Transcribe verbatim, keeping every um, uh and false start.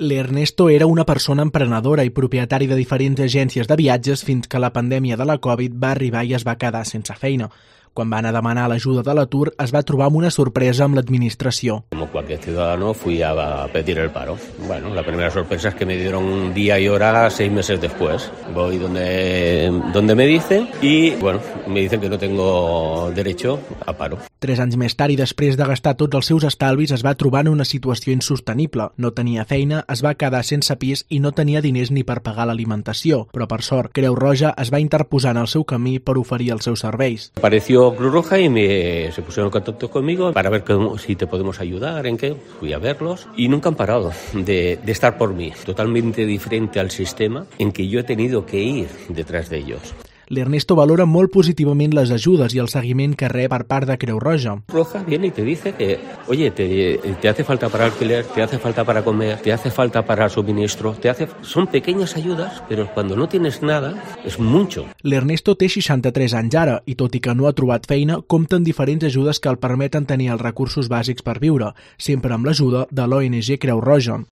L'Ernesto era una persona emprenedora i propietari de diferents agències de viatges fins que la pandèmia de la Covid va arribar i es va quedar sense feina. Quan va anar a demanar l'ajuda de l'atur, es va trobar amb una sorpresa amb l'administració. Como cualquier ciudadano fui a pedir el paro. Bueno, la primera sorpresa es que me dieron día y hora seis meses después. Voy donde, donde me dicen y, bueno, me dicen que no tengo derecho a paro. Tres anys més tard i després de gastar tots els seus estalvis es va trobar en una situació insostenible. No tenia feina, es va quedar sense pis i no tenia diners ni per pagar l'alimentació. Però per sort, Creu Roja es va interposar en el seu camí per oferir els seus serveis. Apareció Cruz Roja y me, se pusieron en contacto conmigo para ver que, si te podemos ayudar, en qué. Fui a verlos y nunca han parado de, de estar por mí. Totalmente diferente al sistema en que yo he tenido que ir detrás de ellos. L'Ernesto valora molt positivament les ajudes i el seguiment que rep per part de Creu Roja. Roja viene y te dice que, oye, te, te hace falta para alquiler, te hace falta para comer, te hace falta para suministro, te hace... Son pequeñas ayudas, pero cuando no tienes nada, es mucho. L'Ernesto té seixanta-tres anys ara i, tot i que no ha trobat feina, compta amb diferents ajudes que el permeten tenir els recursos bàsics per viure, sempre amb l'ajuda de l'O N G Creu Roja.